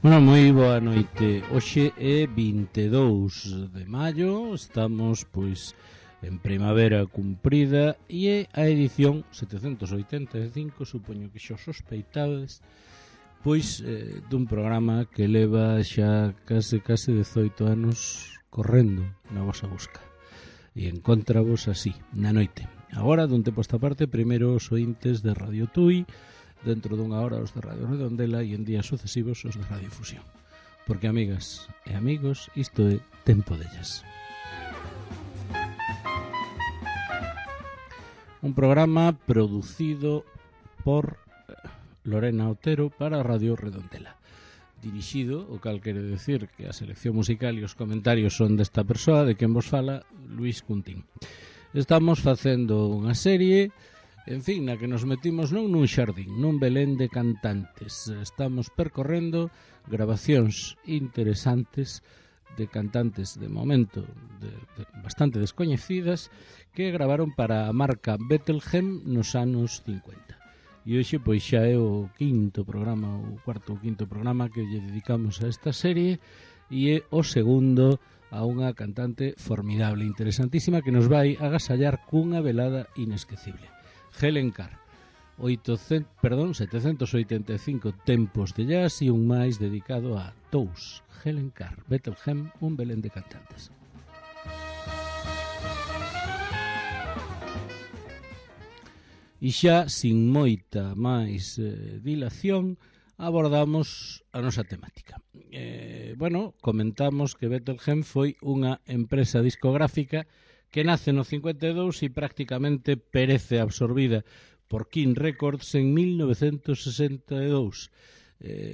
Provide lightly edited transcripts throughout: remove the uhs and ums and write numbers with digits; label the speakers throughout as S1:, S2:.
S1: Bueno, moi boa noite. Hoxe é 22 de maio, estamos pois en primavera cumprida e é a edición 785, supoño que xa sospeitades, pois dun programa que leva xa case 18 anos correndo na vosa busca. E encontravos así, na noite. Agora, dun tempo esta parte, primeiro os ointes de Radio Tui, dentro dunha hora os de Radio Redondela e en días sucesivos os de Radio Fusión. Porque, amigas e amigos, isto é Tempo dellas. Un programa producido por Lorena Otero para Radio Redondela. Dirixido, o cal quere decir que a selección musical e os comentarios son desta persoa, de quen vos fala, Luís Cuntín. Estamos facendo unha serie, en fin, na que nos metimos non nun xardín, nun belén de cantantes. Estamos percorrendo grabacións interesantes de cantantes de momento bastante descoñecidas que gravaron para a marca Bettelheim nos anos 50. E hoxe pois xa é o cuarto ou quinto programa que lle dedicamos a esta serie e é o segundo a unha cantante formidable, interesantísima, que nos vai agasallar cunha velada inesquecible. Helen Carr, 785 tempos de jazz e un máis dedicado a Tous. Helen Carr, Bettelheim, un belén de cantantes. E xa, sin moita máis dilación, abordamos a nosa temática. Comentamos que Bettelheim foi unha empresa discográfica que nace no 52 e prácticamente perece absorbida por King Records en 1962.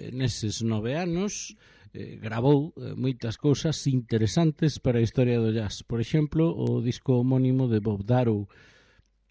S1: Neses 9 anos gravou moitas cousas interesantes para a historia do jazz. Por exemplo, o disco homónimo de Bob Darrow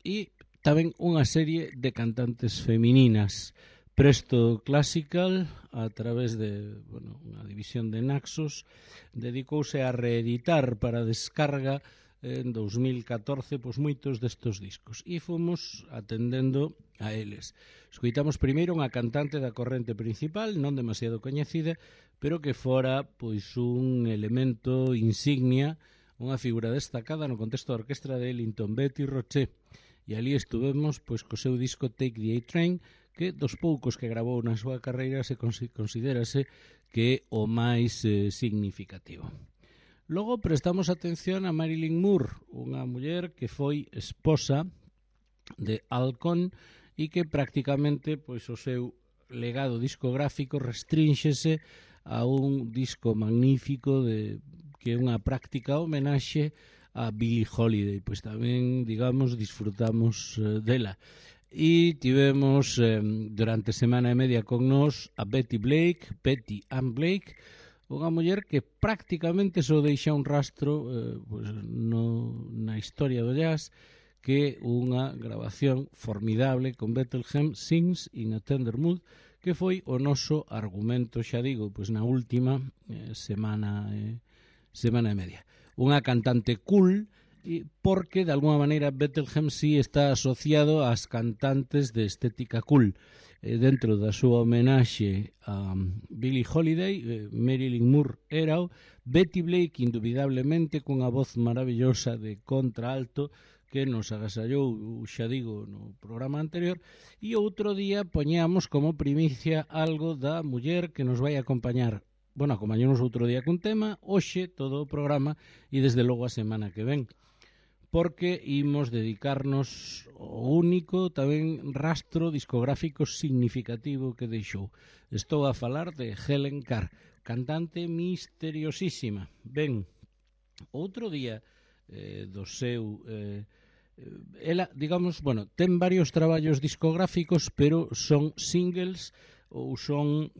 S1: e tamén unha serie de cantantes femininas. Presto Classical, a través de unha división de Naxos, dedicouse a reeditar para descarga en 2014 moitos destes discos e fomos atendendo a eles. Escoitamos primeiro unha cantante da corrente principal, non demasiado coñecida, pero que fora un elemento insignia, unha figura destacada no contexto da orquestra de Ellington, Betty Roche. E ali estuvemos co seu disco Take the A-Train, que dos poucos que gravou na súa carreira se considerase que é o máis significativo. Logo prestamos atención a Marilyn Moore, unha muller que foi esposa de Al Cohn e que prácticamente o seu legado discográfico restrínxese a un disco magnífico que é unha práctica homenaxe a Billie Holiday. Pois tamén, digamos, disfrutamos dela. E tivemos durante semana e media con nós a Betty Ann Blake, unha muller que prácticamente só deixa un rastro na historia do jazz, que é unha grabación formidable con Bettelheim, Sings in a Tender Mood, que foi o noso argumento, xa digo, na última semana e media. Unha cantante cool, porque de alguna maneira Bettelheim sí está asociado ás cantantes de estética cool. Dentro da súa homenaxe a Billie Holiday, Marilyn Moore era Betty Blake, indubidablemente, cunha voz maravillosa de contraalto que nos agasallou, xa digo, no programa anterior, e outro día poñamos como primicia algo da muller que nos vai acompañar. Acompañamos outro día cun tema, hoxe todo o programa e desde logo a semana que ven, porque imos dedicarnos ao único tamén rastro discográfico significativo que deixou. Estou a falar de Helen Carr, cantante misteriosísima. Ben, outro día do seu... ela, digamos, ten varios traballos discográficos, pero son singles ou son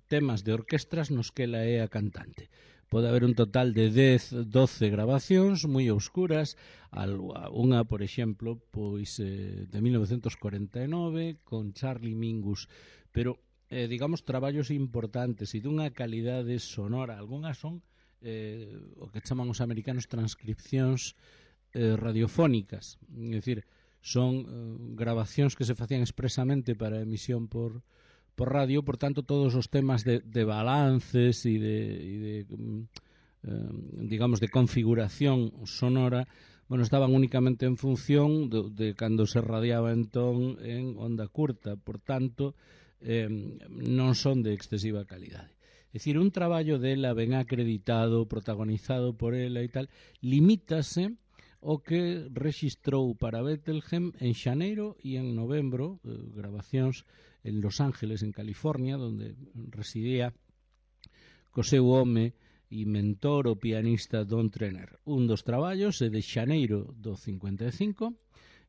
S1: temas de orquestras nos que ela é a cantante. Pode haber un total de 10, 12 grabacións moi oscuras, unha, por exemplo, de 1949 con Charlie Mingus, pero, digamos, traballos importantes e dunha calidade sonora. Algunhas son o que chaman os americanos transcripcións radiofónicas, é dicir, son grabacións que se facían expresamente para emisión por por radio, por tanto todos os temas de balances e de digamos, de configuración sonora, bueno, estaban únicamente en función de cando se radiaba entón en onda curta, por tanto, non son de excesiva calidade. É dicir, un traballo dela ben acreditado, protagonizado por ela e tal, limítase o que rexistrou para Bethlehem en xaneiro e en novembro, grabacións en Los Ángeles, en California, onde residía co seu home e mentor o pianista Don Trenner. Un dos traballos é de xaneiro do 55,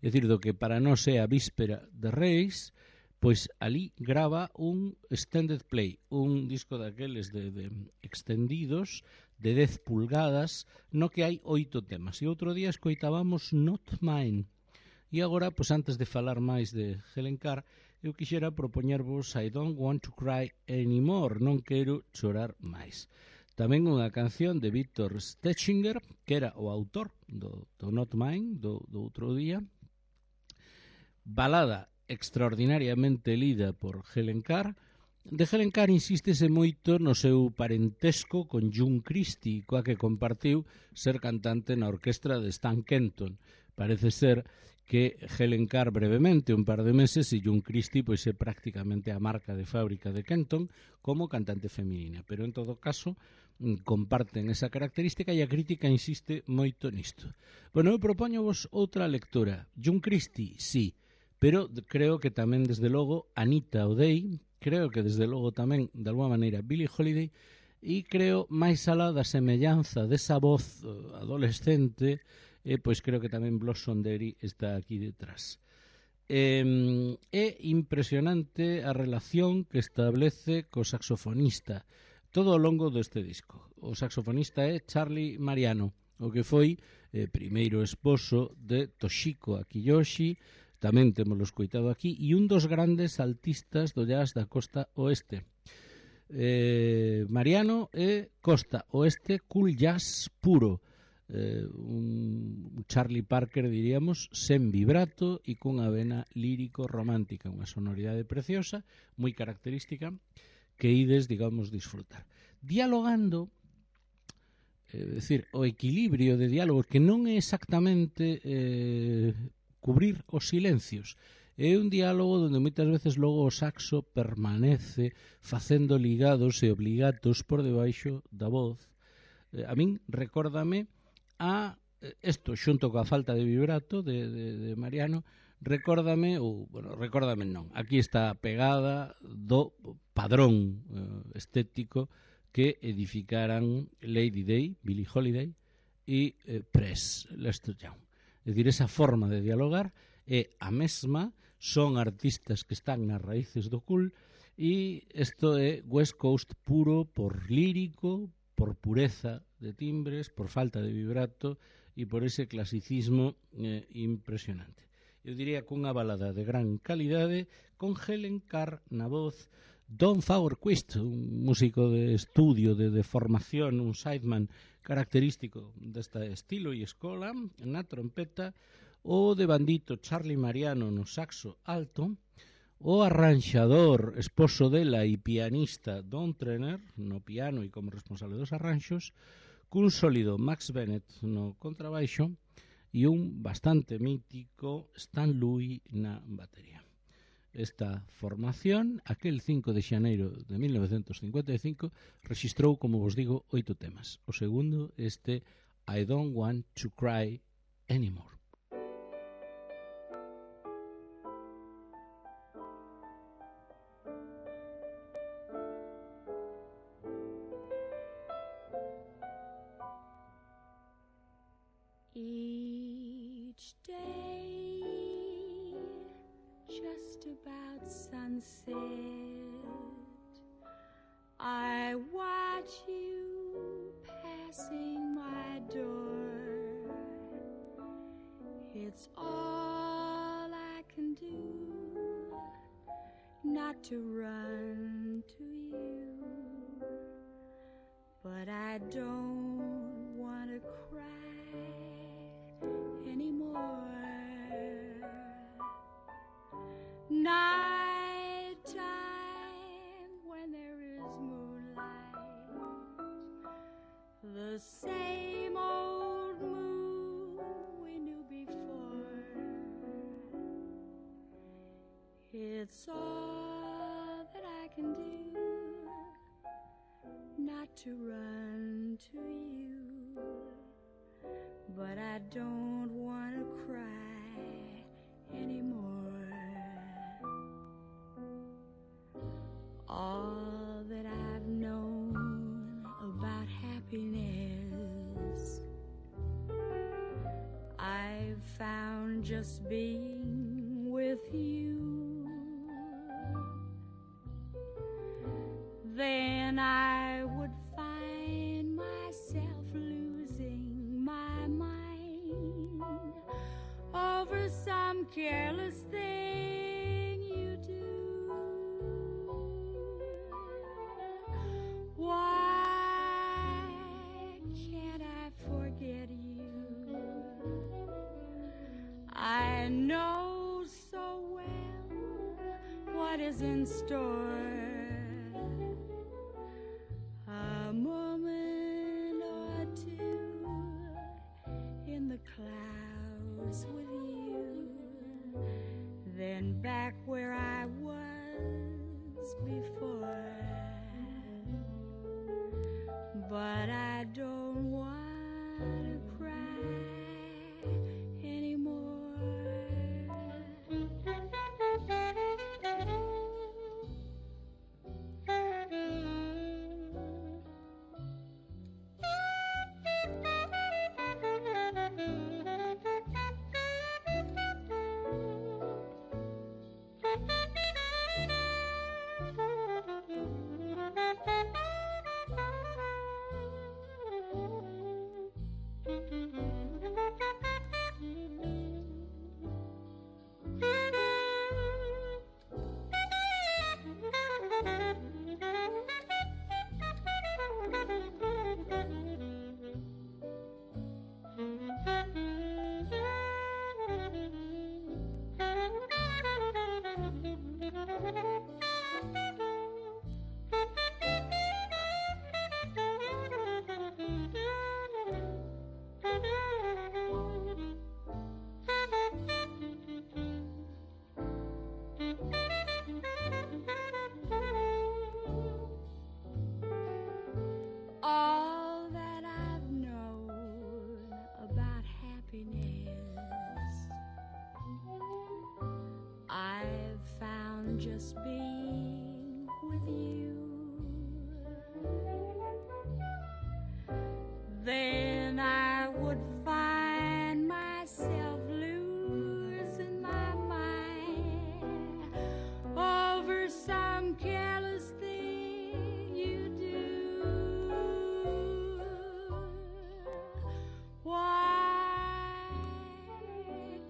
S1: é dicir, do que para nós é a víspera de Reis, pois ali grava un extended play, un disco daqueles de extendidos de 10 pulgadas, no que hai 8 temas. E outro día escoitábamos Not Mine. E agora, pois antes de falar máis de Helen Carr, eu quixera propoñervos I Don't Want to Cry Anymore, non quero chorar máis. Tamén unha canción de Victor Stetchinger, que era o autor do Not Mine, do outro día. Balada extraordinariamente lida por Helen Carr. De Helen Carr insístese moito no seu parentesco con June Christy, coa que compartiu ser cantante na orquestra de Stan Kenton. Parece ser que Helen Carr brevemente, un par de meses, e June Christy pois é prácticamente a marca de fábrica de Kenton como cantante feminina, pero en todo caso comparten esa característica e a crítica insiste moito nisto. Bueno, eu propóñovos outra lectura. June Christy, sí, pero creo que tamén, desde logo, Anita O'Day, creo que, desde logo, tamén, de alguma maneira, Billie Holiday, e creo, máis alá da semellanza desa voz adolescente, pois creo que tamén Blossom Derry está aquí detrás. É impresionante a relación que establece co saxofonista todo ao longo deste disco. O saxofonista é Charlie Mariano, o que foi primeiro esposo de Toshiko Akiyoshi, tamén temoslo escoitado aquí, e un dos grandes altistas do jazz da costa oeste. Mariano é costa oeste cool jazz puro, un Charlie Parker, diríamos, sen vibrato e cunha vena lírico-romántica, unha sonoridade preciosa, moi característica, que ides, digamos, disfrutar. Dialogando, decir, o equilibrio de diálogos, que non é exactamente cubrir os silencios, é un diálogo onde moitas veces logo o saxo permanece facendo ligados e obligatos por debaixo da voz. A min recórdame a isto, xunto coa falta de vibrato de Mariano, recórdame non, aquí está a pegada do padrón estético que edificaran Lady Day, Billie Holiday e Press, Lester Young. É dicir, esa forma de dialogar é a mesma, son artistas que están nas raíces do cool, e isto é West Coast puro por lírico, por pureza de timbres, por falta de vibrato e por ese clasicismo impresionante. Eu diría que unha balada de gran calidade con Helen Carr na voz, Don Fagerquist, un músico de estudio, de formación, un sideman característico deste estilo e escola, na trompeta, o de bandito Charlie Mariano no saxo alto, o arranxador, esposo dela e pianista Don Trenner no piano e como responsable dos arranxos, cun sólido Max Bennett no contrabaixo e un bastante mítico Stan Louis na batería. Esta formación, aquel 5 de xaneiro de 1955, rexistrou, como vos digo, 8 temas. O segundo, este I Don't Want to Cry Anymore.
S2: Each day, just about sunset, I watch you passing my door. It's all I can do not to run to you, but I don't want to cry anymore. Night time same old mood we knew before. It's all that I can do not to run to you, but I don't want to cry anymore. All that I've known about happiness, I've found just being with you. Then I would find myself losing my mind over some careless thing you do. Why can't I forget you? I know so well what is in store. A moment or two in the clouds with you, then back where I was before. But I don't want to cry anymore. All that I've known about happiness, I've found just being with you. Then I would find myself losing my mind over some careless thing you do. Why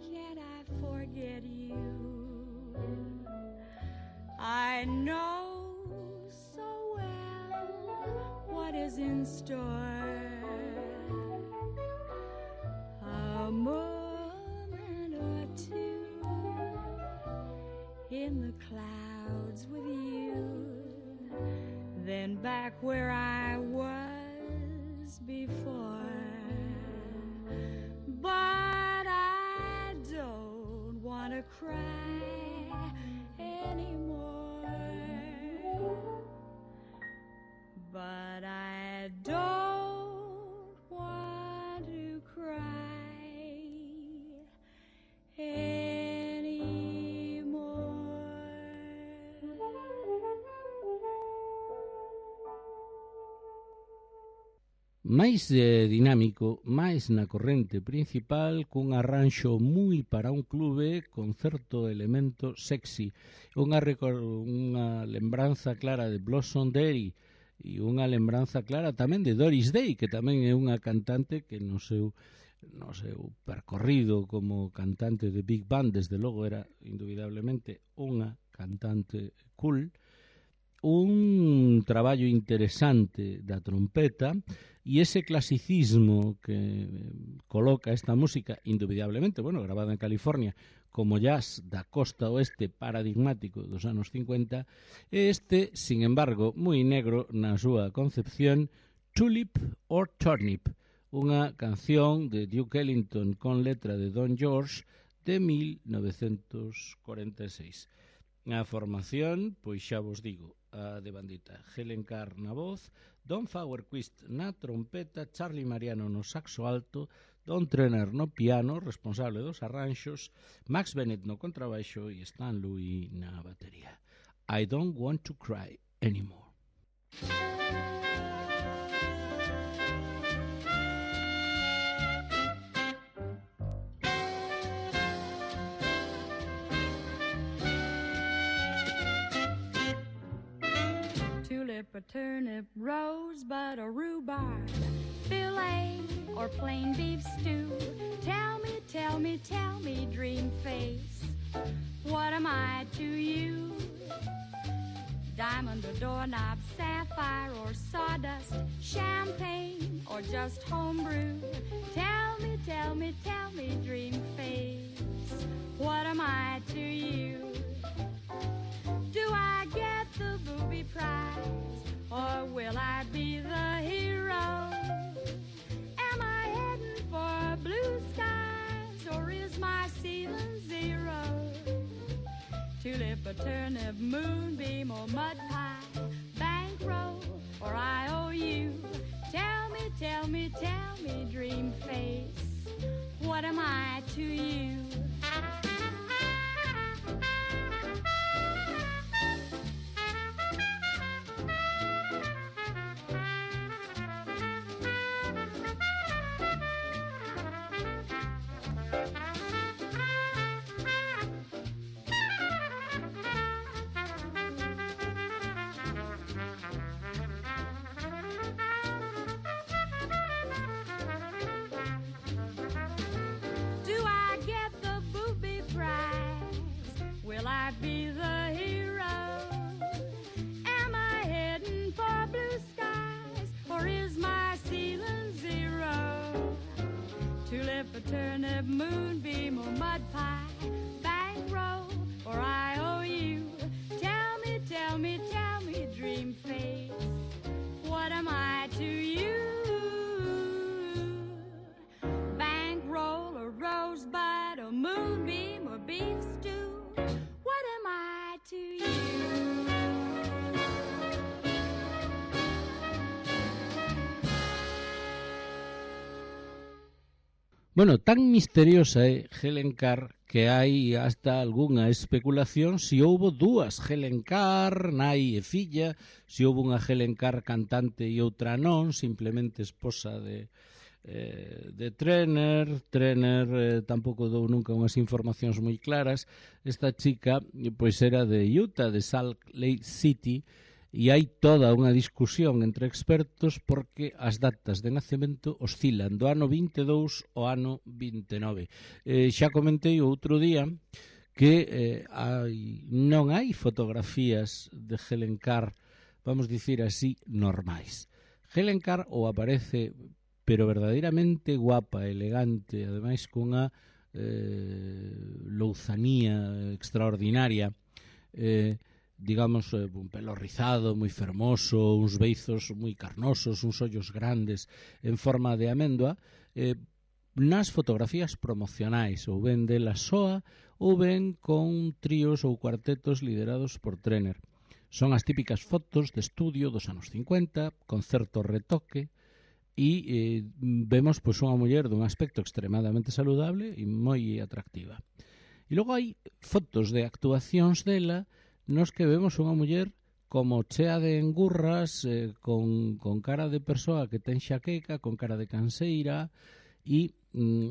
S2: can't I forget you? I know so well what is in store. A moment or two in the clouds with you, then back where I was before. But I don't want to cry anymore. But I don't want to cry
S1: máis dinámico, máis na corrente principal, cun arranxo moi para un clube con certo elemento sexy, unha lembranza clara de Blossom Day e unha lembranza clara tamén de Doris Day, que tamén é unha cantante que no seu percorrido como cantante de Big Band, desde logo era indubidablemente unha cantante cool. Un traballo interesante da trompeta e ese clasicismo que coloca esta música, indubidablemente, grabada en California, como jazz da costa oeste paradigmático dos anos 50, sin embargo, moi negro na súa concepción, Tulip or Turnip, unha canción de Duke Ellington con letra de Don George de 1946. A formación, pois xa vos digo, a de bandita: Helen Carr na voz, Don Fauerquist na trompeta, Charlie Mariano no saxo alto, Don Trenner no piano, responsable dos arranxos, Max Bennett no contrabaixo e Stan Louis na batería. I don't want to cry anymore.
S2: Tulip, a turnip, rosebud, or rhubarb, filet or plain beef stew. Tell me, tell me, tell me, dream face, what am I to you? Diamond or doorknob, sapphire or sawdust, champagne or just homebrew. Tell me, tell me, tell me, dream face, what am I to you? Do I get the booby prize, or will I be the hero? Am I heading for blue skies, or is my ceiling zero? Tulip, a turnip, moonbeam, or mud pie, bankroll or IOU. Tell me, tell me, tell me, dream face, what am I to you? Will I be the hero? Am I heading for blue skies, or is my ceiling zero? Tulip, a turnip, moonbeam, or mud pie, bankroll or IOU. Tell me, tell me, tell me, dream face, what am I to you? Bankroll or rosebud or moonbeam or beef stew, what am I to you?
S1: Bueno, tan misteriosa é Helen Carr que hai hasta algunha especulación se houbo dúas Helen Carr, nai e filla, se houbo unha Helen Carr cantante e outra non, simplemente esposa de Trenner. Tampouco dou nunca unhas informacións moi claras. Esta chica pois era de Utah, de Salt Lake City, e hai toda unha discusión entre expertos porque as datas de nacemento oscilan do ano 22 ao ano 29. Xa comentei outro día que non hai fotografías de Helen Carr, vamos dicir así, normais. Helen Carr ou aparece pero verdadeiramente guapa, elegante, ademais cunha louzanía extraordinaria, digamos, un pelo rizado, moi fermoso, uns beizos moi carnosos, uns ollos grandes en forma de améndoa, nas fotografías promocionais, ou ben dela soa, ou ben con tríos ou cuartetos liderados por Trenner. Son as típicas fotos de estudio dos anos 50, con certo retoque, e vemos pois unha muller dun aspecto extremadamente saludable e moi atractiva. E logo hai fotos de actuacións dela nos que vemos unha muller como chea de engurras, con cara de persoa que ten xaqueca, con cara de canseira, e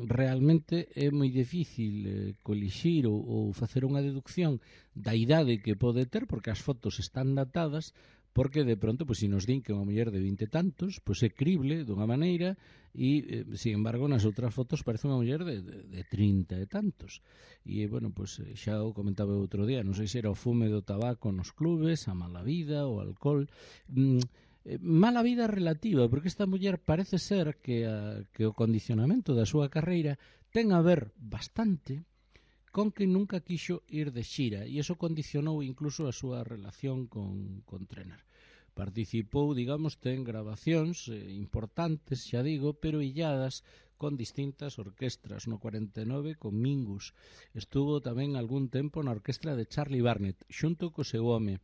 S1: realmente é moi difícil colixir ou facer unha deducción da idade que pode ter, porque as fotos están datadas, porque de pronto, pois, se nos din que unha muller de 20 e tantos, pois é crible dunha maneira, e, sin embargo, nas outras fotos parece unha muller de 30 e tantos. E, bueno, pois, xa o comentaba outro día, non sei se era o fume do tabaco nos clubes, a mala vida, o alcohol. Mala vida relativa, porque esta muller parece ser que o condicionamento da súa carreira ten a ver bastante con que nunca quixo ir de xira, e iso condicionou incluso a súa relación con Trenner. Participou, digamos, ten grabacións importantes, xa digo, pero illadas con distintas orquestras. No 49 con Mingus. Estuvo tamén algún tempo na orquestra de Charlie Barnet, xunto co seu home.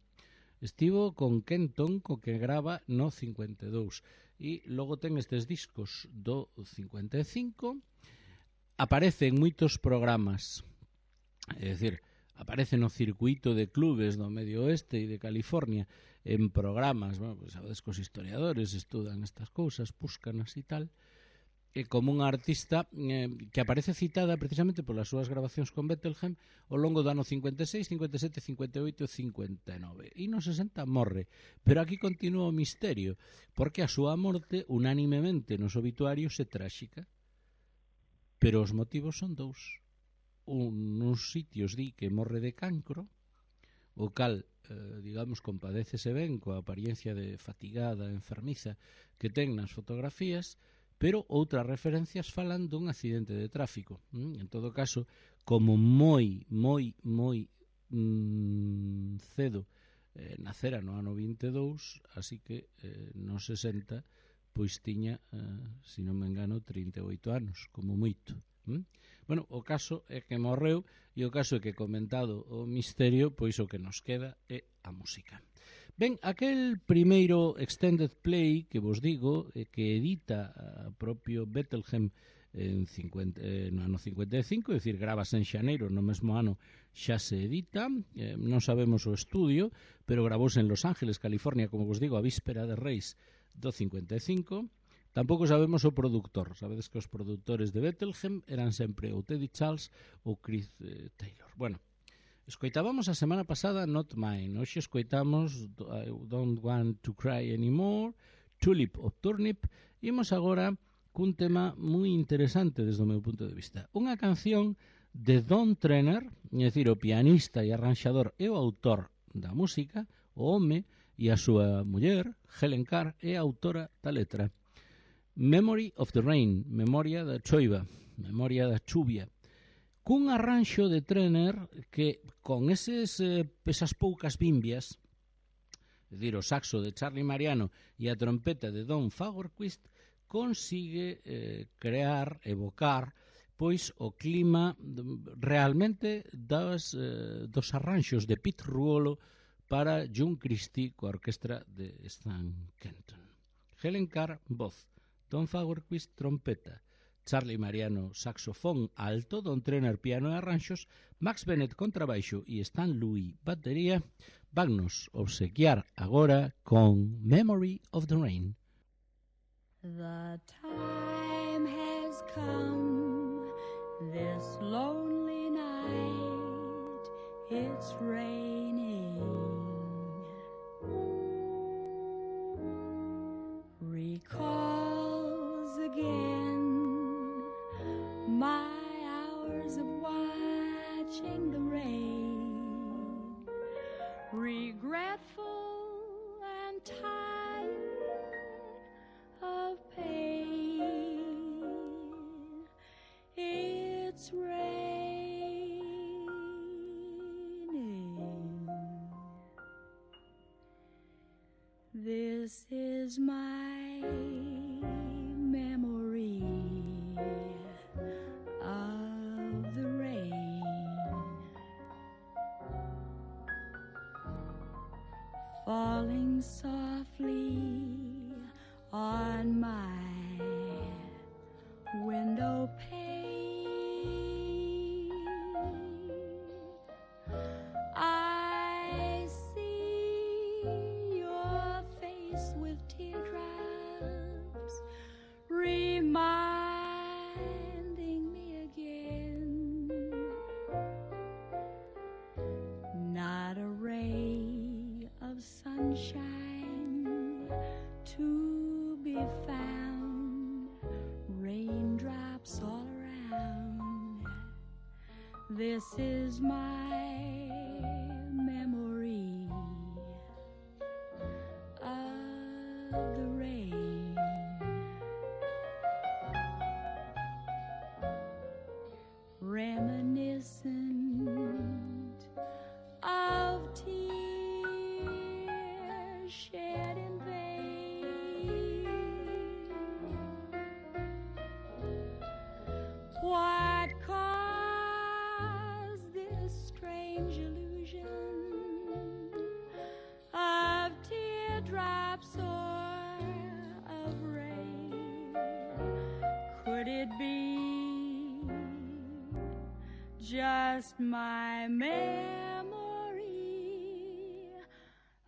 S1: Estivo con Kenton, co que grava no 52. E logo ten estes discos do 55. Aparece en moitos programas. É dicir, aparece no circuito de clubes do Medio Oeste e de California en programas, bueno, pues, sabedes que os historiadores estudan estas cousas, búscanas e tal, e como unha artista que aparece citada precisamente polas súas grabacións con Bethlehem ao longo do ano 56, 57, 58 e 59. E no 60 morre, pero aquí continúa o misterio, porque a súa morte unánimemente nos obituarios é tráxica, pero os motivos son dous. Nos sitios di que morre de cancro, o cal, digamos, compadécese ben coa apariencia de fatigada, enfermiza que ten nas fotografías, pero outras referencias falan dun accidente de tráfico. En todo caso, como moi cedo nacera no ano 22, así que no 60 pois tiña, se non me engano, 38 anos, como moito. Bueno, o caso é que morreu e o caso é que, comentado o misterio, pois o que nos queda é a música. Ben, aquel primeiro extended play que vos digo, que edita a propio Bethlehem no ano 55, é dicir, gravase en xaneiro, no mesmo ano xa se edita, non sabemos o estudio, pero gravouse en Los Ángeles, California, como vos digo, a víspera de Reis do 55. Tampouco sabemos o produtor. Sabedes que os produtores de Bethlehem eran sempre ou Teddy Charles ou Chris Taylor. Bueno, escoitábamos a semana pasada Not Mine. Hoxe escoitamos I Don't Want to Cry Anymore, Tulip of Turnip. Imos agora cun tema moi interesante desde o meu punto de vista. Unha canción de Don Trenner, é dicir, o pianista e arranxador e o autor da música, o home, e a súa muller, Helen Carr, é a autora da letra. Memory of the Rain, memoria da choiva, memoria da chuvia, cun arranxo de Trenner que con esas poucas bimbias, é dicir, o saxo de Charlie Mariano e a trompeta de Don Fagerquist, consigue crear, evocar, pois o clima realmente dos arranxos de Pete Ruolo para John Christie coa orquestra de Stan Kenton. Helen Carr, voz, Don Fagerquist, trompeta, Charlie Mariano, saxofón alto, Don Trenner, piano e arranxos, Max Bennett, contrabaixo e Stan Louis, batería. Vannos obsequiar agora con Memory of the Rain.
S2: The time has come, this lonely night, it's raining. Recalls again my hours of watching the rain, regretful and tired of pain. It's raining. This is my memory of the rain, falling softly on my window pane. I see your face with teardrops, reminding me again. Not a ray of sunshine to be found, raindrops all around. This is my memory of the rain. Reminiscent of tears shed teardrops or of rain. Could it be just my memory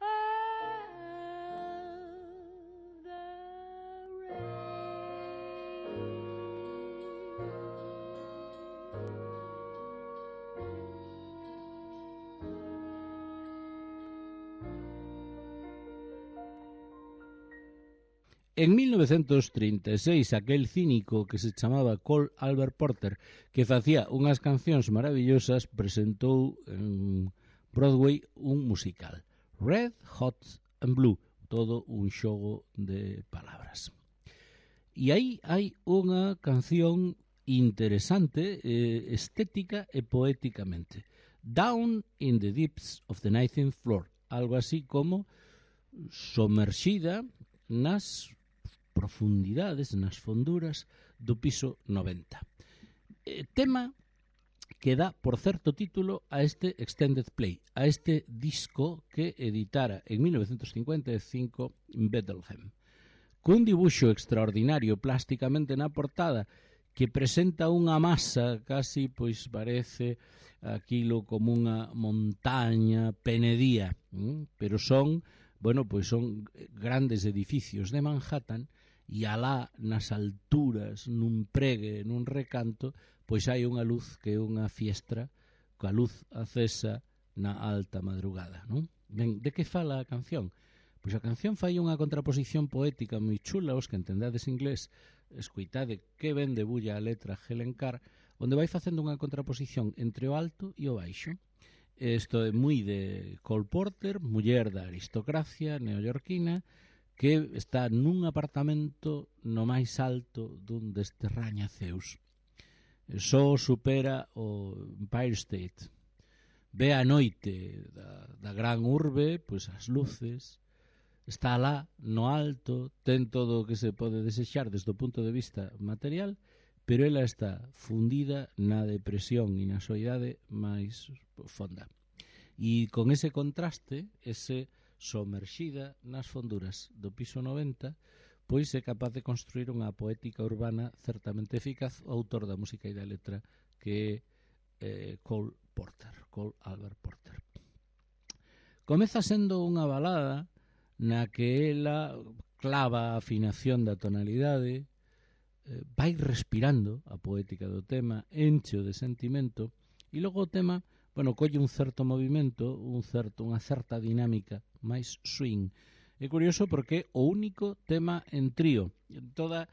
S2: of the rain?
S1: En 1936, aquel cínico que se chamaba Cole Albert Porter, que facía unhas cancións maravillosas, presentou en Broadway un musical, Red, Hot and Blue, todo un xogo de palabras. E aí hai unha canción interesante, estética e poéticamente, Down in the Deeps of the 19th Floor, algo así como somerxida nas profundidades, nas fonduras do piso 90. Tema que dá, por certo título, a este Extended Play, a este disco que editara en 1955 Bethlehem. Cun dibuixo extraordinario plásticamente na portada que presenta unha masa, casi pois parece aquilo como unha montaña penedía, pero son, bueno, pois son grandes edificios de Manhattan e alá nas alturas, nun pregue, nun recanto, pois hai unha luz que é unha fiestra, coa luz acesa na alta madrugada, non? Ben, de que fala a canción? Pois a canción fai unha contraposición poética moi chula, os que entendades inglés, escoitade que ben debulla a letra Helen Carr, onde vai facendo unha contraposición entre o alto e o baixo. Isto é moi de Cole Porter, muller da aristocracia neoyorquina, que está nun apartamento no máis alto dun destes rañaceus. Só supera o Empire State. Ve a noite da gran urbe, pois as luces, está lá no alto, ten todo o que se pode desexar desde o punto de vista material, pero ela está fundida na depresión e na soidade máis fonda. E con ese contraste, ese somerxida nas fonduras do piso 90, pois é capaz de construir unha poética urbana certamente eficaz, o autor da música e da letra, que é Cole Albert Porter. Comeza sendo unha balada na que ela clava a afinación da tonalidade, vai respirando a poética do tema, encheo de sentimento, e logo o tema, bueno, colle un certo movimento, unha certa dinámica máis swing. É curioso porque é o único tema en trío. Toda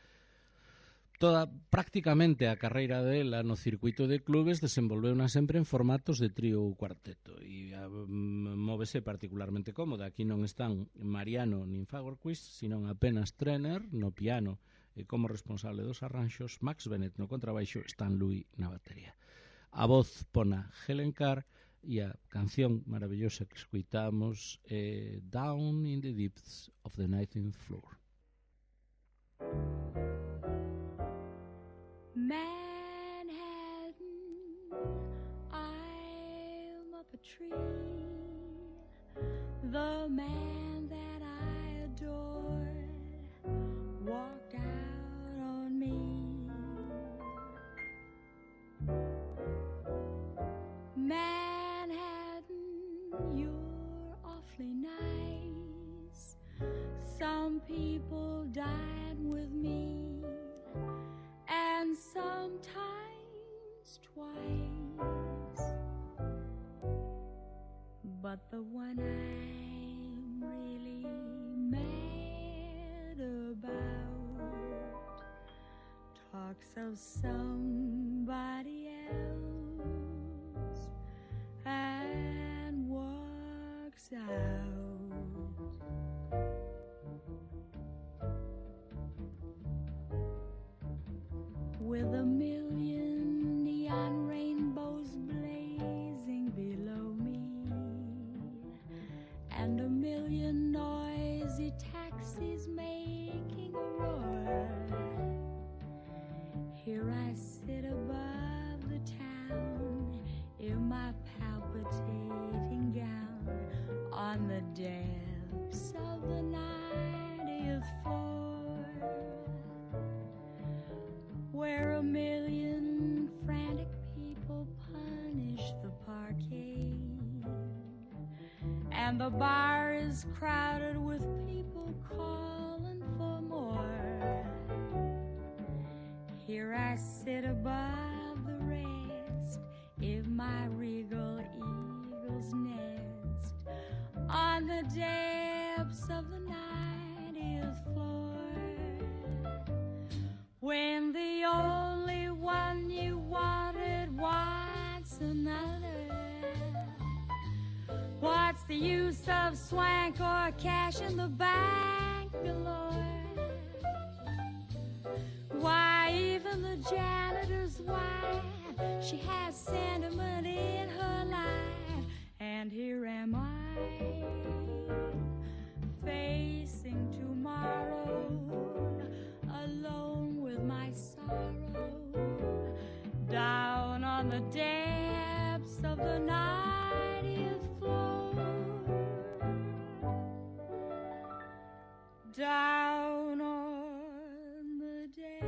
S1: prácticamente a carreira dela no circuito de clubes desenvolveuna sempre en formatos de trío ou cuarteto e móvese particularmente cómoda. Aquí non están Mariano nin Fagerquist, senón apenas Trenner no piano e como responsable dos arranxos, Max Bennett no contrabaixo, Stan Louis na batería. A voz pona Helen Carr e a canción maravillosa que escuitamos é Down in the Deeps of the 19th Floor.
S2: Manhattan, I'm up a tree. The man that I adored walked out on me. Manhattan, you're awfully nice. Some people dine with me, and sometimes twice. But the one I'm really mad about talks of somebody else and walks out. With a million neon rainbows blazing below me, and a million noisy taxis making a roar, here I sit above the town in my palpitating gown on the depths of the is crowded with people calling for more. Here I sit above the rest in my regal eagle's nest on the depths of the 90th floor. When the only one you wanted wants another, what's the use of swank or cash in the bank galore? Why, even the janitor's wife, she has sentiment in her life. And here am I, facing tomorrow, alone with my sorrow, down on the depths of the 90th floor. Down on the depths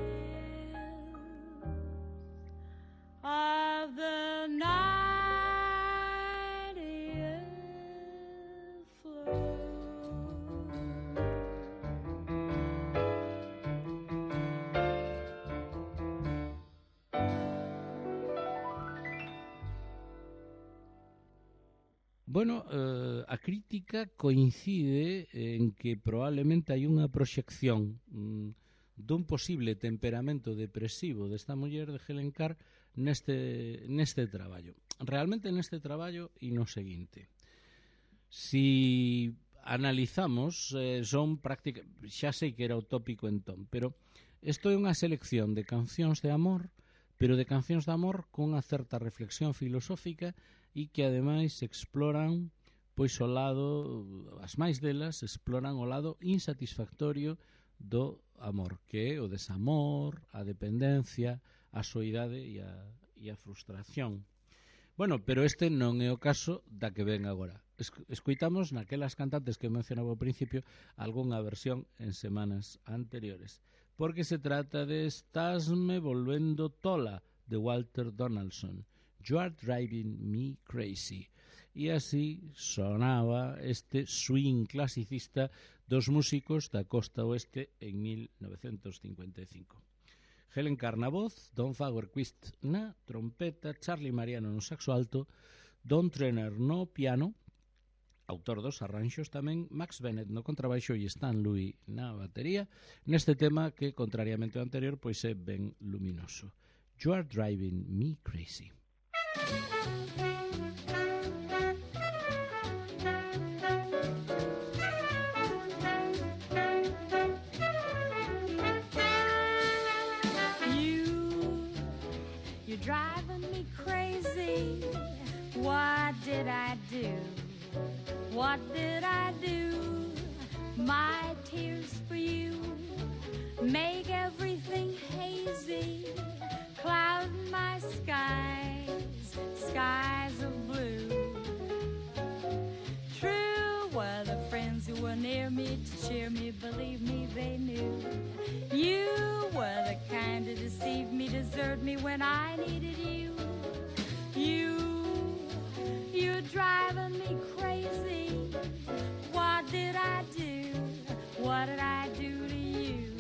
S2: of the 90th floor.
S1: Bueno, a crítica coincide en que probablemente hai unha proxección dun posible temperamento depresivo desta muller de Helen Carr neste traballo. Realmente neste traballo e no seguinte. Si analizamos, son xa sei que era utópico entón, pero isto é unha selección de cancións de amor, pero de cancións de amor cunha certa reflexión filosófica e que ademais exploran pois o lado, as máis delas exploran o lado insatisfactorio do amor, que é o desamor, a dependencia, a soidade e a frustración. Bueno, pero este non é o caso da que ven agora. Escoitamos naquelas cantantes que mencionaba ao principio algunha versión en semanas anteriores, porque se trata de Estásme volvendo tola, de Walter Donaldson. You are driving me crazy. E así sonaba este swing clasicista dos músicos da costa oeste en 1955. Helen Carr na voz, Don Fagerquist na trompeta, Charlie Mariano no saxo alto, Don Trenner no piano, autor dos arranxos tamén, Max Bennett no contrabaixo e Stan Louis na batería, neste tema que, contrariamente ao anterior, pois é ben luminoso. You are driving me crazy.
S2: You're driving me crazy. What did I do? What did I do? My tears for you make everything hazy, cloud my skies, skies of blue. True were the friends who were near me to cheer me, believe me, they knew. You were the kind to deceive me, desert me when I needed you. You're driving me crazy. What did I do? What did I do to you?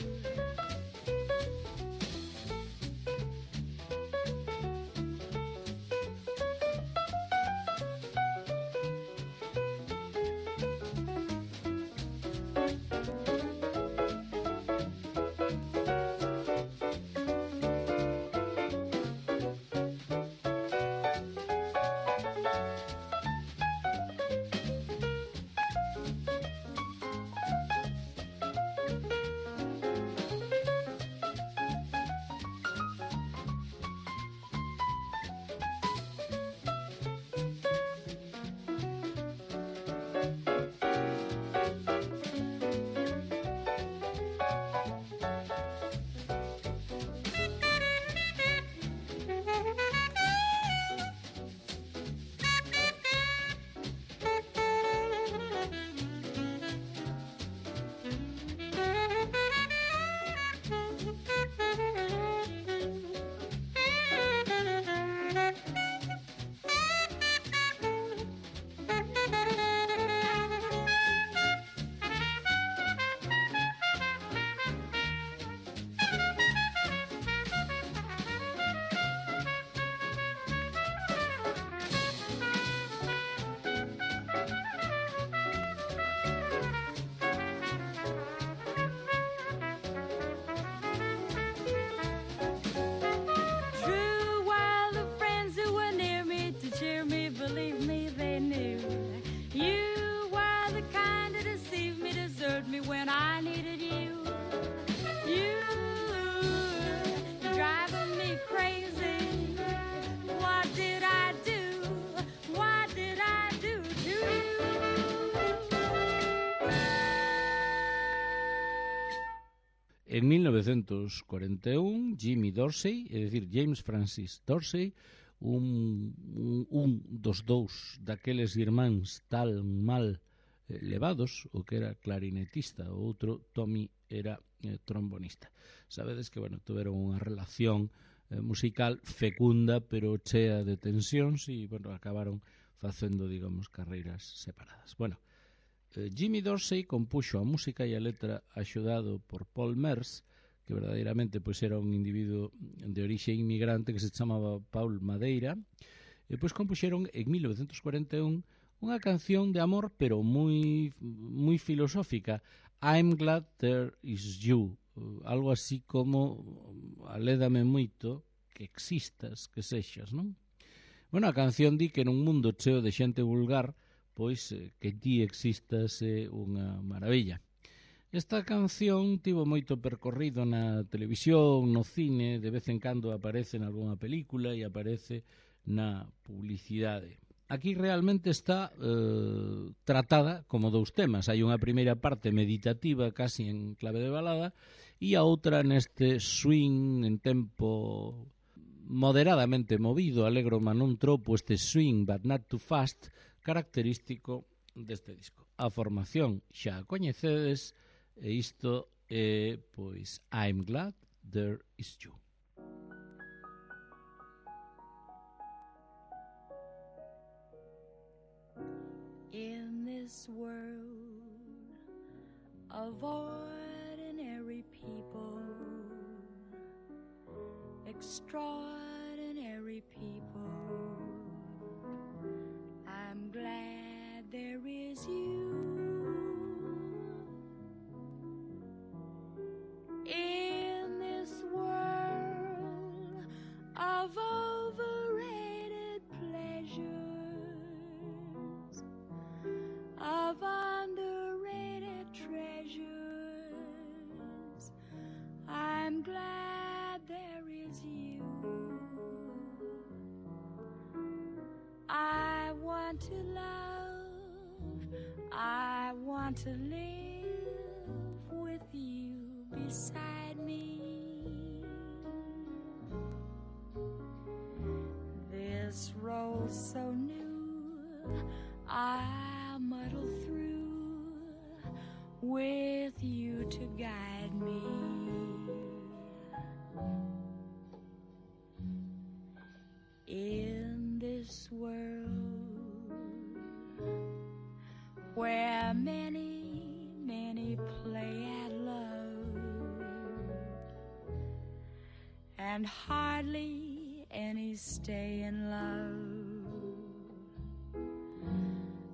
S2: hurt me when I needed you. You're driving me crazy. What did I do? What did I do to you?
S1: En 1941, Jimmy Dorsey, é dicir, James Francis Dorsey, un dos dous daqueles irmáns tan mal levados, o que era clarinetista, o outro, Tommy, era trombonista. Sabedes que, bueno, tuveron unha relación musical fecunda, pero chea de tensións, e, bueno, acabaron facendo, digamos, carreiras separadas. Bueno, Jimmy Dorsey compuxo a música e a letra axudado por Paul Merce, que verdadeiramente pois era un individuo de orixe inmigrante que se chamaba Paul Madeira, e pois compuxeron en 1941 unha canción de amor, pero moi filosófica, I'm glad there is you, algo así como alédame moito que existas, que sexas, non? Bueno, a canción di que nun mundo cheo de xente vulgar, pois que ti existas é unha maravilla. Esta canción tivo moito percorrido na televisión, no cine, de vez en cando aparece en algunha película e aparece na publicidade. Aquí realmente está tratada como dous temas. Hai unha primeira parte meditativa, casi en clave de balada, e a outra neste swing en tempo moderadamente movido, alegro ma non tropo, este swing but not too fast, característico deste disco. A formación xa a coñecedes, e isto é, pois, I'm glad there is you.
S2: In this world of ordinary people, extraordinary people, I'm glad there is you. In this world of overrated pleasures, of underrated treasures, I'm glad there is you. I want to love, I want to live with you beside me. This road so new, I'll muddle through with you to guide me. In this world where many, many play at love and hardly any stay in love,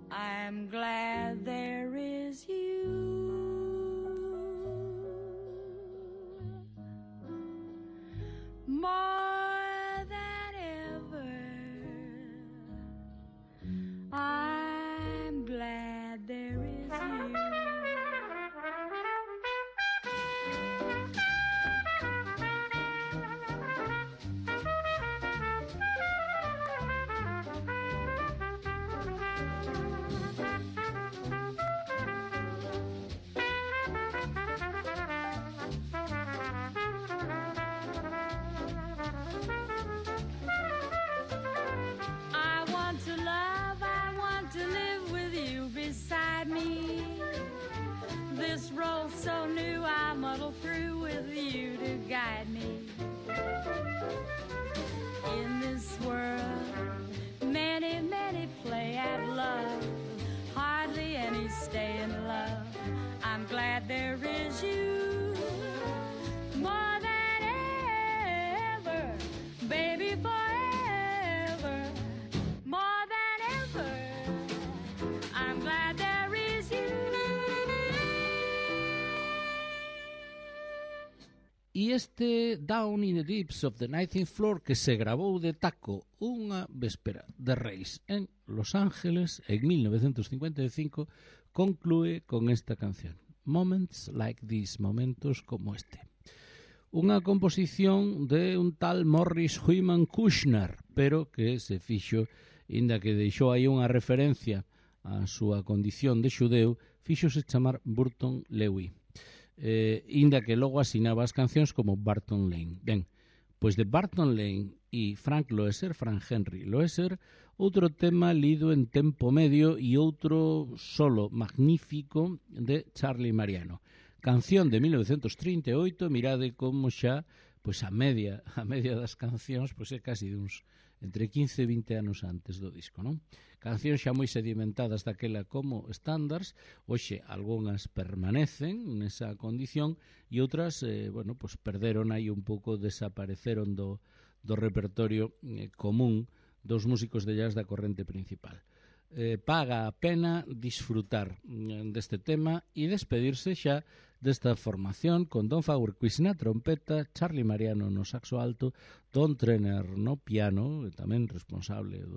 S2: I'm glad there is you. More than ever, I'm glad there is you. I want to love, I want to live with you beside me. This road so new, I muddle through with you to guide me. In this world, many, many play at love, hardly any stay in love. I'm glad there is you. More than ever, baby, forever. More than ever, I'm glad there is you.
S1: E este Down in the Deeps of the 19th Floor, que se grabou de taco unha véspera de Reis en Los Ángeles en 1955, conclúe con esta canción. Moments Like This, momentos como este. Unha composición de un tal Morris Hyman Kushner, pero que se fixo, inda que deixou aí unha referencia á súa condición de xudeu, fíxose chamar Burton Lewy. Inda que logo asinaba as cancións como Barton Lane. Ben, pois de Barton Lane e Frank Henry Loesser, outro tema lido en tempo medio e outro solo magnífico de Charlie Mariano. Canción de 1938, mirade como xa pois a media das cancións pois é casi duns entre 15 e 20 anos antes do disco, non? Cancións xa moi sedimentadas daquela como estándares, hoxe algunhas permanecen nesa condición e outras, pois perderon aí un pouco, desapareceron do repertorio común dos músicos de jazz da corrente principal. Paga a pena disfrutar deste tema e despedirse xa desta formación con Don Faurquist na trompeta, Charlie Mariano no saxo alto, Don Trenner no piano, tamén responsable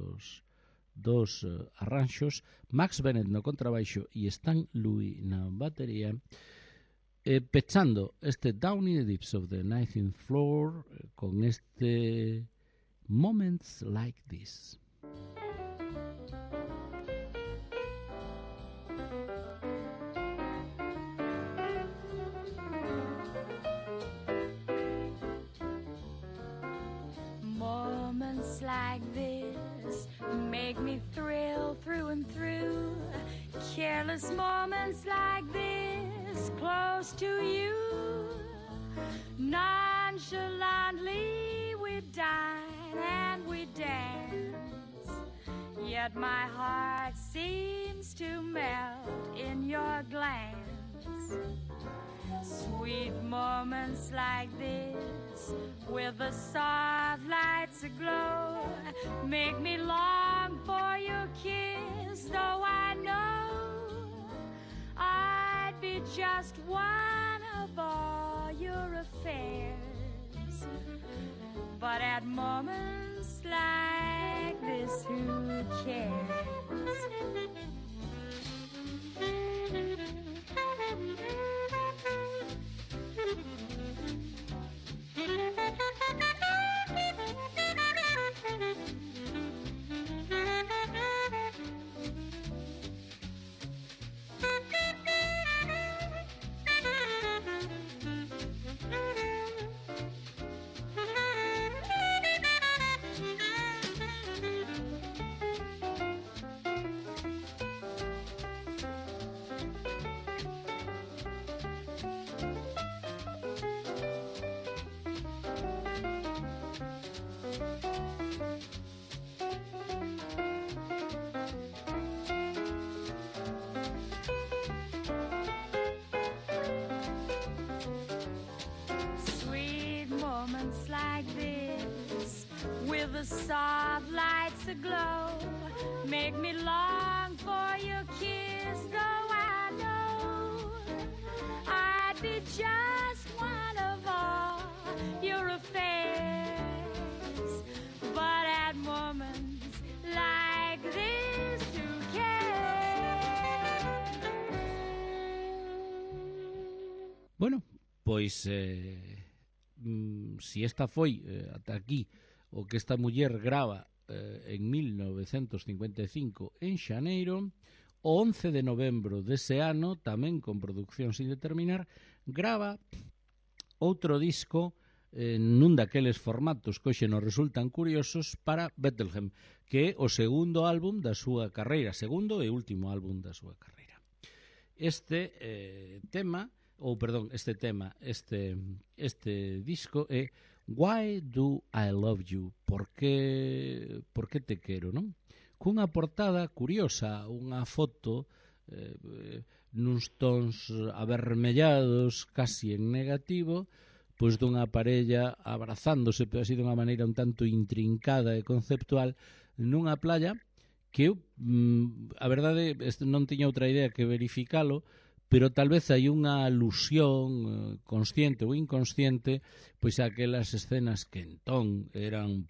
S1: dos arranxos, Max Bennett no contrabaixo e Stan Louis na batería, pechando este Down in the Deeps of the 19th Floor con este Moments Like This.
S2: Moments like this make me thrill through and through. Careless moments like this close to you. Nonchalantly we dine and we dance, yet my heart seems to melt in your glance. Sweet moments like this, with the soft lights aglow, make me long for your kiss, though I know I'd be just one of all your affairs. But at moments like this, who cares? The soft lights aglow make me long for your kiss, though I know I'd be just one of all your affairs. But at moments like this, who cares?
S1: Bueno, pois si esta foi ata aquí o que esta muller grava en 1955 en xaneiro, o 11 de novembro dese ano, tamén con producción sin determinar, grava outro disco nun daqueles formatos que hoxe nos resultan curiosos para Bethlehem, que é o segundo álbum da súa carreira, segundo e último álbum da súa carreira. Este disco é Why Do I Love You? Por que te quero, non? Cunha portada curiosa, unha foto nuns tons avermellados, casi en negativo, pois dunha parella abrazándose, pero así dunha maneira un tanto intrincada e conceptual, nunha playa que eu, a verdade, non tiña outra idea que verificalo, pero tal vez hai unha alusión consciente ou inconsciente pois a aquelas escenas que entón eran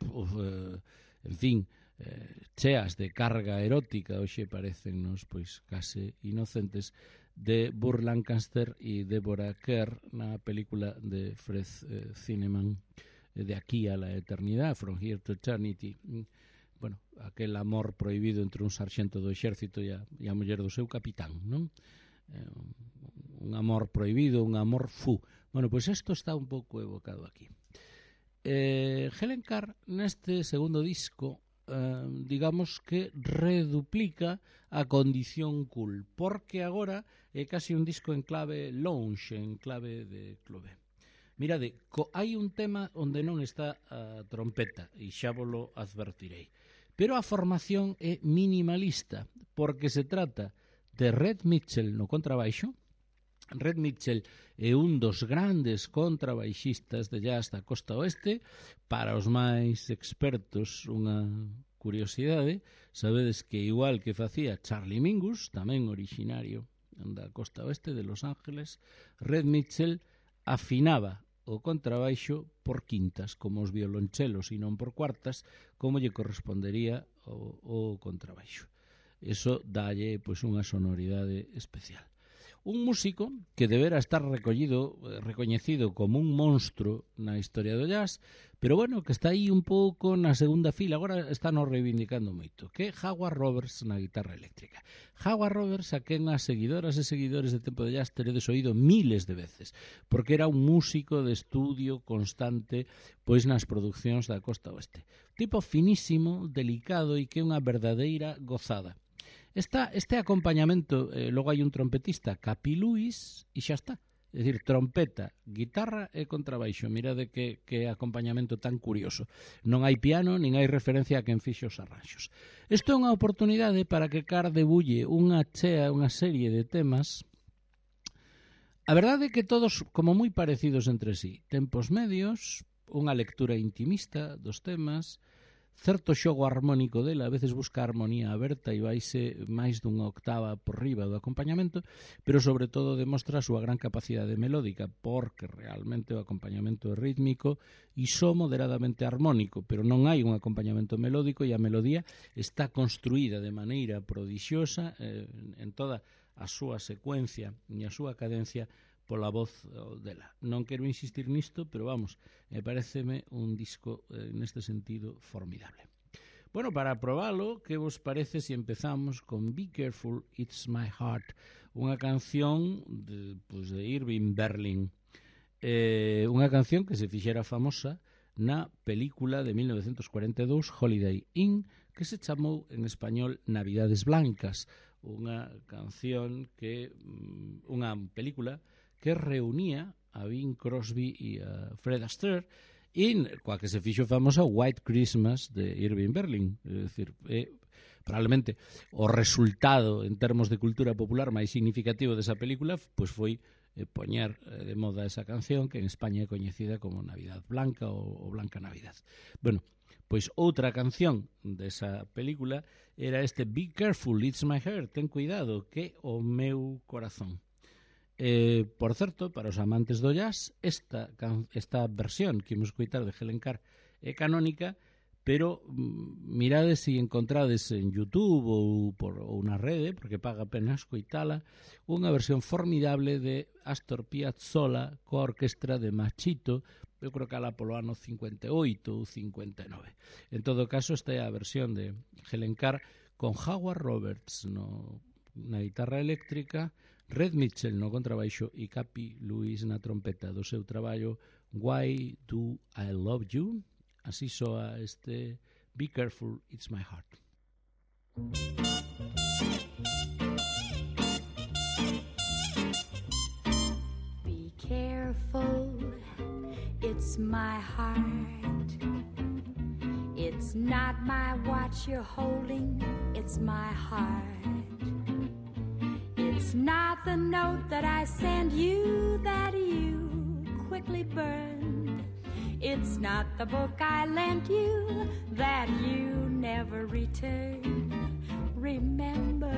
S1: cheas de carga erótica, hoxe parecennos pois case inocentes, de Burt Lancaster e Deborah Kerr na película de Fred Zinnemann, De aquí a la eternidad, From Here to Eternity. Bueno, aquel amor prohibido entre un sarxento do exército e a muller do seu capitán, non? Un amor prohibido, un amor fu. Bueno, pois isto está un pouco evocado aquí. Helen Carr neste segundo disco digamos que reduplica a condición cool, porque agora é casi un disco en clave lounge, en clave de clube. Mirade, hai un tema onde non está a trompeta, e xa volo advertirei, pero a formación é minimalista, porque se trata de Red Mitchell no contrabaixo. Red Mitchell é un dos grandes contrabaixistas de jazz da costa oeste. Para os máis expertos, unha curiosidade, sabedes que igual que facía Charlie Mingus, tamén originario da costa oeste de Los Ángeles, Red Mitchell afinaba o contrabaixo por quintas, como os violonchelos, e non por cuartas, como lle correspondería o contrabaixo. Eso dalle pois unha sonoridade especial. Un músico que debera estar recoñecido como un monstro na historia do jazz, pero bueno, que está aí un pouco na segunda fila, agora está nos reivindicando moito, que é Howard Roberts na guitarra eléctrica. Howard Roberts, a quen as seguidoras e seguidores de Tempo de Jazz teredes oído miles de veces, porque era un músico de estudio constante pois nas producións da costa oeste. Tipo finísimo, delicado e que é unha verdadeira gozada. Este acompañamento, logo hai un trompetista, Capi Lewis, e xa está. É dicir, trompeta, guitarra e contrabaixo. Mirade que acompañamento tan curioso. Non hai piano, nin hai referencia a quen fixo os arranxos. Isto é unha oportunidade para que Carr debulle unha serie de temas. A verdade é que todos como moi parecidos entre sí. Tempos medios, unha lectura intimista dos temas, certo xogo armónico dela, a veces busca a armonía aberta e vaise máis dunha octava por riba do acompañamento, pero sobre todo demostra a súa gran capacidade melódica, porque realmente o acompañamento é rítmico e só moderadamente armónico, pero non hai un acompañamento melódico e a melodía está construída de maneira prodixiosa en toda a súa secuencia e a súa cadencia pola voz dela. Non quero insistir nisto, pero vamos, pareceme un disco neste sentido formidable. Bueno, para probalo, que vos parece se empezamos con Be Careful, It's My Heart, unha canción de Irving Berlin, unha canción que se fixera famosa na película de 1942 Holiday Inn, que se chamou en español Navidades Blancas, unha canción que unha película que reunía a Bing Crosby e a Fred Astaire e coa que se fixo famosa White Christmas de Irving Berlin. É dicir, probablemente o resultado en termos de cultura popular máis significativo desa película pois foi poñer de moda esa canción que en España é coñecida como Navidad Blanca ou Blanca Navidad. Bueno, pois outra canción desa película era este Be Careful, It's My Heart, ten cuidado, que o meu corazón. Por certo, para os amantes do jazz, esta versión que imos coitar de Helen Carr é canónica, pero mirades se encontrades en YouTube ou na rede, porque paga apenas coitala, unha versión formidable de Astor Piazzolla coa orquestra de Machito, eu creo que alá polo ano 58 ou 59. En todo caso, esta é a versión de Helen Carr con Howard Roberts na guitarra eléctrica, Red Mitchell no contrabaixo e Capi Lewis na trompeta do seu traballo Why Do I Love You? Así soa este Be Careful, It's My Heart.
S2: Be careful, it's my heart. It's not my watch you're holding, it's my heart. It's not the note that I send you that you quickly burned. It's not the book I lent you that you never returned. Remember,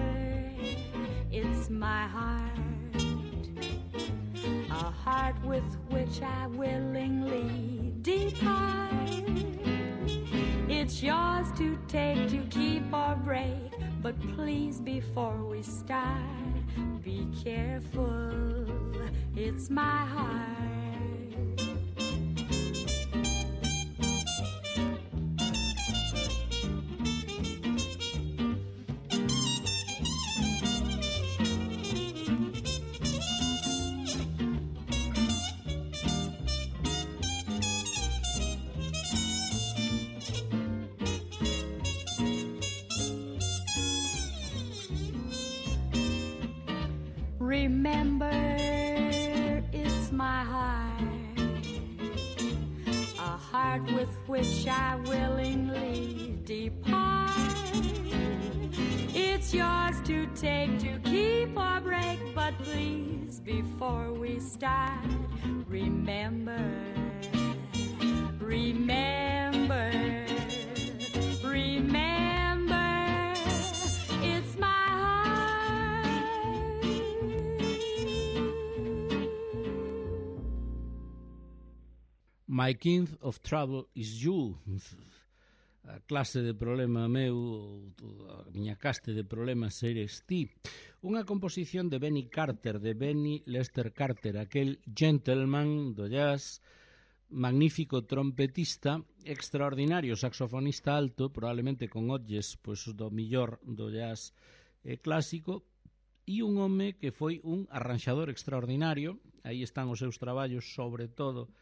S2: it's my heart, a heart with which I willingly depart. It's yours to take, to keep or break, But please, before we start, be careful, it's my heart. Remember, it's my heart, a heart with which I willingly depart. It's yours to take, to keep or break, but please, before we start, remember, remember, remember, it's my
S1: My King of Trouble is You. A clase de problema meu, a miña caste de problemas eres ti. Unha composición de Benny Carter, de Benny Lester Carter, aquel gentleman do jazz, magnífico trompetista, extraordinario saxofonista alto, probablemente con olles pois, do millor do jazz clásico, e un home que foi un arranxador extraordinario. Aí están os seus traballos, sobre todo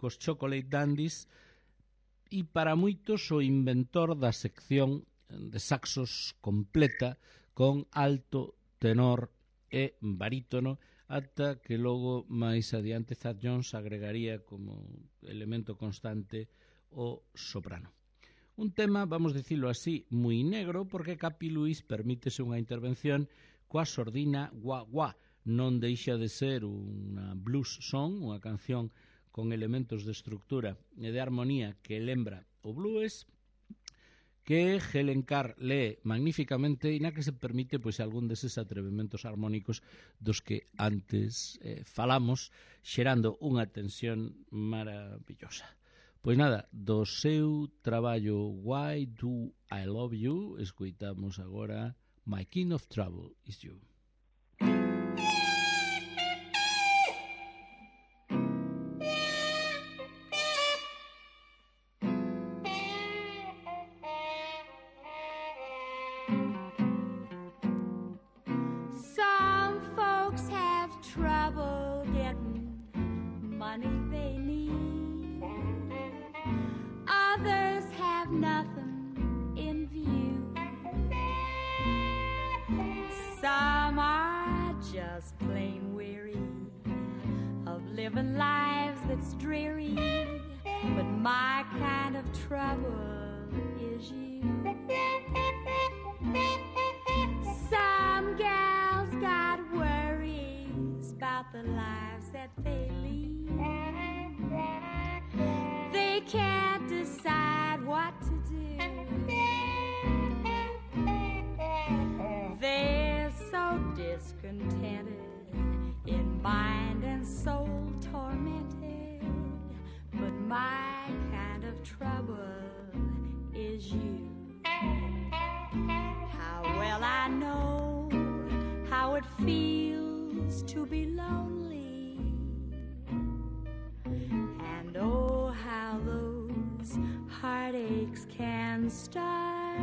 S1: cos Chocolate Dandies, e para moitos o inventor da sección de saxos completa con alto, tenor e barítono, ata que logo máis adiante Thad Jones agregaría como elemento constante o soprano. Un tema, vamos dicilo así, moi negro, porque Capi Luis permítese unha intervención coa sordina Wah Wah. Non deixa de ser unha blues song, unha canción con elementos de estructura e de armonía que lembra o blues, que Helen Carr lee magníficamente e na que se permite pois algún deses atrevementos armónicos dos que antes falamos, xerando unha tensión maravillosa. Pois nada, do seu traballo Why Do I Love You, escoitamos agora My King of Trouble is You.
S2: Living lives that's dreary, but my kind of trouble is you. Some gals got worries about the lives that they lead. They can't decide what to do. They're so discontented in mind and soul tormented, but my kind of trouble is you. How well I know how it feels to be lonely, and oh, how those heartaches can start.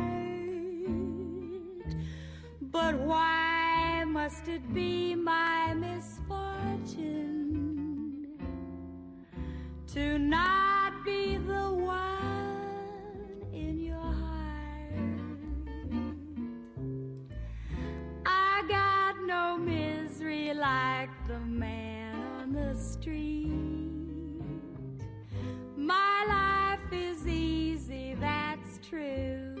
S2: But why must it be my misfortune to not be the one in your heart? I got no misery like the man on the street. My life is easy, that's true.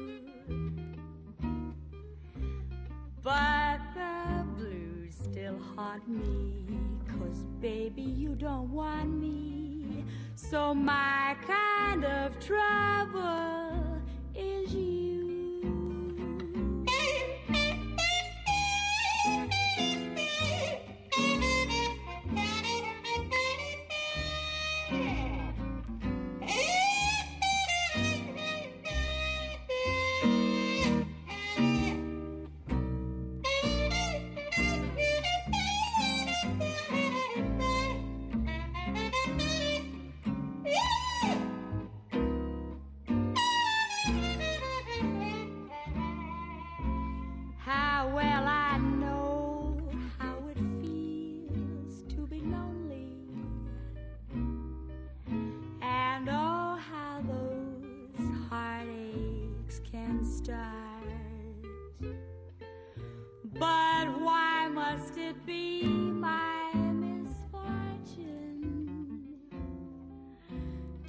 S2: But the blues still haunt me, 'cause baby you don't want me. So my kind of trouble is you. start. But why must it be my misfortune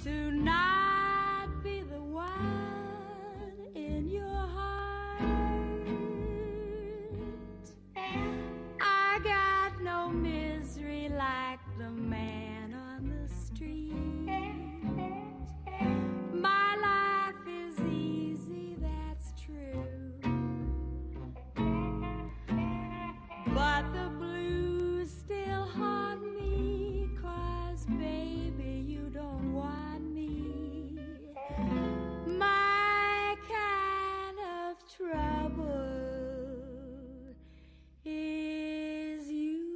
S2: to not be the one in your heart? I got no misery like the man on the street. My life is easy, that's true. But the blues still haunt me, 'cause baby, you don't want me. My kind of trouble is you.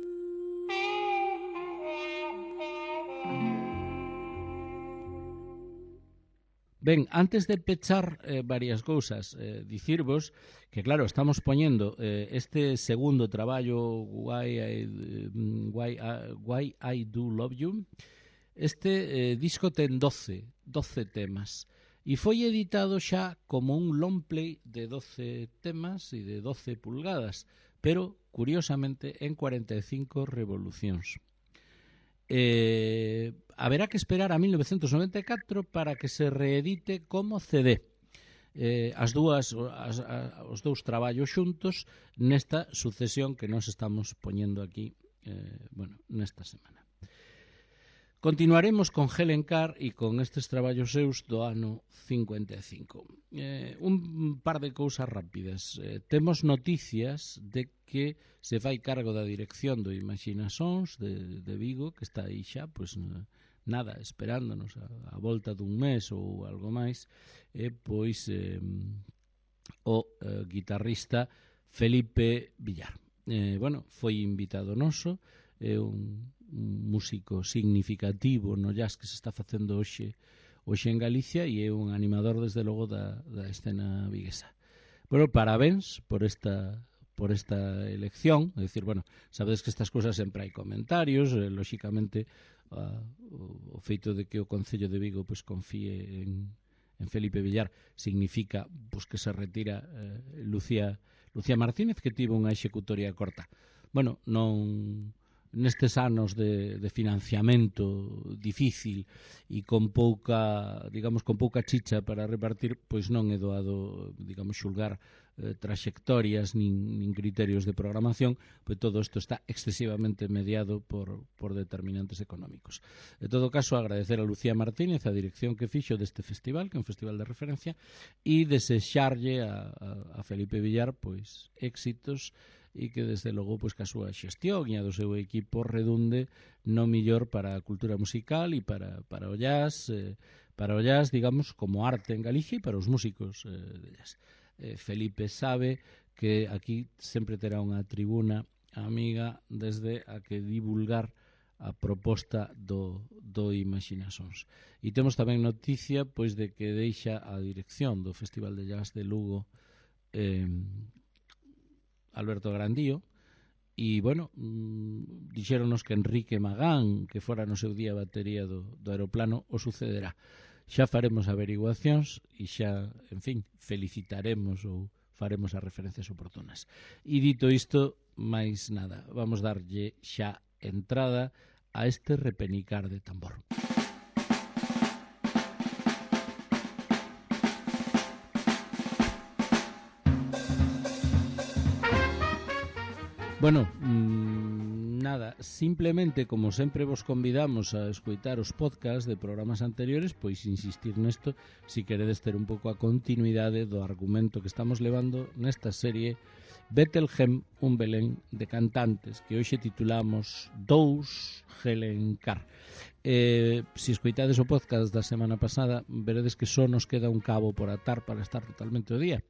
S1: Ben, antes de pechar varias cousas, dicirvos que, claro, estamos poñendo este segundo traballo, Why I Do Love You. Este disco ten 12 temas e foi editado xa como un long play de 12 temas e de 12 pulgadas, pero, curiosamente, en 45 revolucións. Haberá que esperar a 1994 para que se reedite como CD. Os dous traballos xuntos nesta sucesión que nos estamos poñendo aquí nesta semana. Continuaremos con Helen Carr e con estes traballos seus do ano 55. Un par de cousas rápidas. Temos noticias de que se fai cargo da dirección do Imaxinasons de Vigo, que está aí xa, pois nada, esperándonos a volta dun mes ou algo máis, o guitarrista Felipe Villar. Foi invitado noso, é un músico significativo no jazz que se está facendo hoxe en Galicia e é un animador, desde logo, da escena viguesa. Parabéns por esta elección. É dicir, sabedes que estas cousas sempre hai comentarios, lóxicamente o feito de que o Concello de Vigo confíe en Felipe Villar significa que se retira Lucía Martínez, que tivo unha executoria corta. Nestes anos de financiamento difícil e con pouca chicha para repartir, pois non é doado, xulgar traxectorias nin criterios de programación, pois todo isto está excesivamente mediado por determinantes económicos. En todo caso, agradecer a Lucía Martínez a dirección que fixo deste festival, que é un festival de referencia, e desexarlle a Felipe Villar éxitos e que, desde logo, que a súa xestión e a do seu equipo redunde no millor para a cultura musical e para o jazz, digamos, como arte en Galicia e para os músicos de jazz. Felipe sabe que aquí sempre terá unha tribuna amiga desde a que divulgar a proposta do Imaxinasons. E temos tamén noticia de que deixa a dirección do Festival de Jazz de Lugo Alberto Grandío, e, dixéronos que Enrique Magán, que fora no seu día batería do aeroplano, o sucederá. Xa faremos averiguacións e xa, en fin, felicitaremos ou faremos as referencias oportunas. E dito isto, máis nada, vamos darlle xa entrada a este repenicar de tambor. Nada, simplemente, como sempre vos convidamos a escoitar os podcasts de programas anteriores, pois insistir nesto si queredes ter un pouco a continuidade do argumento que estamos levando nesta serie Bethlehem, un Belén de cantantes, que hoxe titulamos Dous Helen Carr. Se escoitades o podcast da semana pasada, veredes que só nos queda un cabo por atar para estar totalmente o día,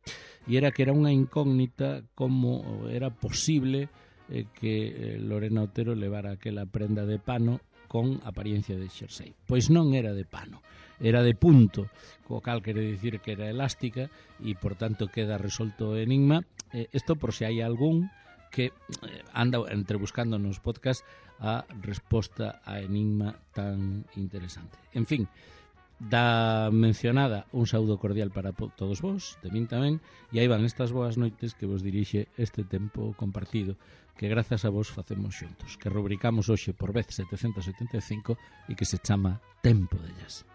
S1: e era que era unha incógnita como era posible que Lorena Otero levara aquela prenda de pano con apariencia de xersei. Pois non era de pano, era de punto, co cal quere dicir que era elástica e, por tanto, queda resolto o enigma. Isto por se hai algún que anda entrebuscando nos podcast a resposta a enigma tan interesante. En fin, Da mencionada un saúdo cordial para todos vos, de min tamén, e aí van estas boas noites que vos dirixe este tempo compartido que grazas a vos facemos xuntos, que rubricamos hoxe por vez 775 e que se chama Tempo de Jazz.